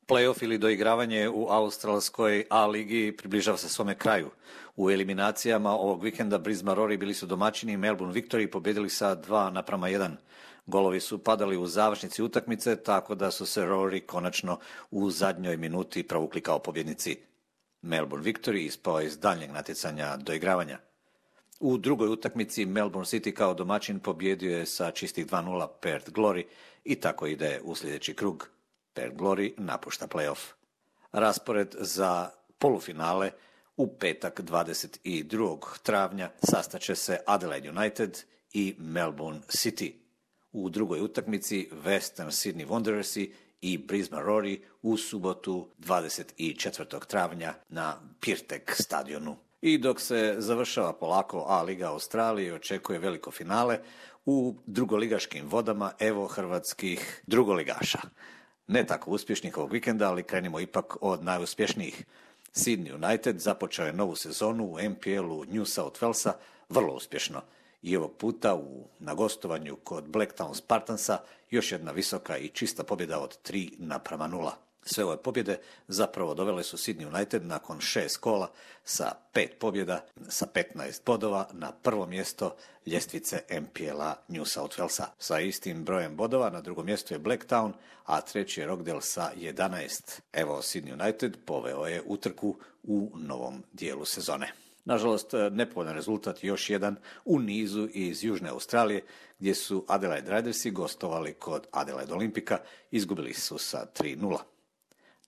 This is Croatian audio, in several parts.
Playoff ili doigravanje u australskoj A ligi približava se svome kraju. U eliminacijama ovog vikenda Brisbane Roar bili su domaćini, Melbourne Victory pobjedili sa 2:1. Golovi su padali u završnici utakmice, tako da su se Roari konačno u zadnjoj minuti provukli kao pobjednici. Melbourne Victory ispao iz daljnjeg natjecanja doigravanja. U drugoj utakmici Melbourne City kao domaćin pobjedio je sa čistih 2:0 Perth Glory i tako ide u sljedeći krug. Perth Glory napušta playoff. Raspored za polufinale u petak 22. travnja sastaće se Adelaide United i Melbourne City. U drugoj utakmici Western Sydney Wanderersi i Brisbane Roar u subotu 24. travnja na Pirtek stadionu. I dok se završava polako A liga Australije, očekuje veliko finale u drugoligaškim vodama, evo hrvatskih drugoligaša. Ne tako uspješnih ovog vikenda, ali krenimo ipak od najuspješnijih. Sydney United započeo je novu sezonu u NPL-u New South Walesa vrlo uspješno. I ovog puta na gostovanju kod Blacktown Spartansa još jedna visoka i čista pobjeda od 3:0. Sve ove pobjede zapravo dovele su Sydney United nakon 6 kola sa 5 pobjeda, sa 15 bodova na prvo mjesto ljestvice NPL-a New South Walesa. Sa istim brojem bodova na drugom mjestu je Blacktown, a treći je Rockdale sa 11. Evo, Sydney United poveo je utrku u novom dijelu sezone. Nažalost, nepovoljan rezultat još jedan u nizu iz Južne Australije, gdje su Adelaide Ridersi gostovali kod Adelaide Olimpika, izgubili su sa 3:0.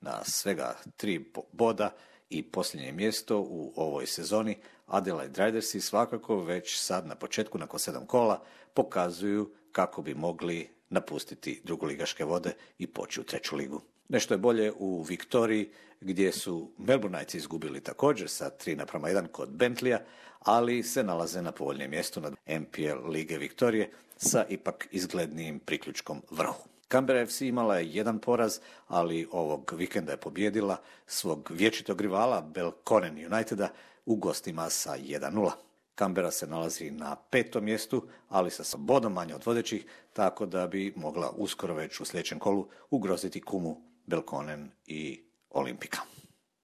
Na svega 3 boda i posljednje mjesto u ovoj sezoni, Adelaide Ridersi svakako već sad na početku, nakon 7 kola, pokazuju kako bi mogli napustiti drugoligaške vode i poći u treću ligu. Nešto je bolje u Viktoriji, gdje su Melbourneites izgubili također sa 3:1 kod Bentleya, ali se nalaze na povoljnijem mjestu na NPL Lige Viktorije sa ipak izglednijim priključkom vrhu. Canberra FC imala je jedan poraz, ali ovog vikenda je pobjedila svog vječitog rivala Belconnen Uniteda u gostima sa 1:0. Canberra se nalazi na 5. mjestu, ali sa bodom manje od vodećih, tako da bi mogla uskoro već u sljedećem kolu ugroziti kumu Belconnen i Olimpika.